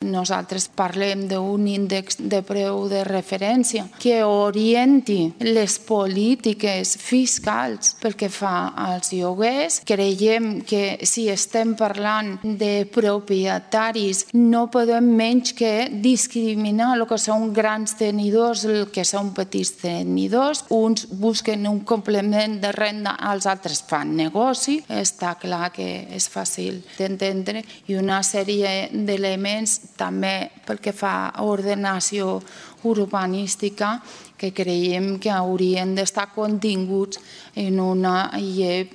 Nosaltres parlem d'un índex de preu de referència que orienti les polítiques fiscals pel que fa als lloguers. Creiem que si estem parlant de propietaris no podem menys que discriminar el que són grans tenidors, el que són petits tenidors. Uns busquen un complement de renda, els altres fan negoci. Està clar que és fàcil d'entendre i una sèrie d'elements també pel que fa a ordenació urbanística que creiem que haurien d'estar continguts en una llei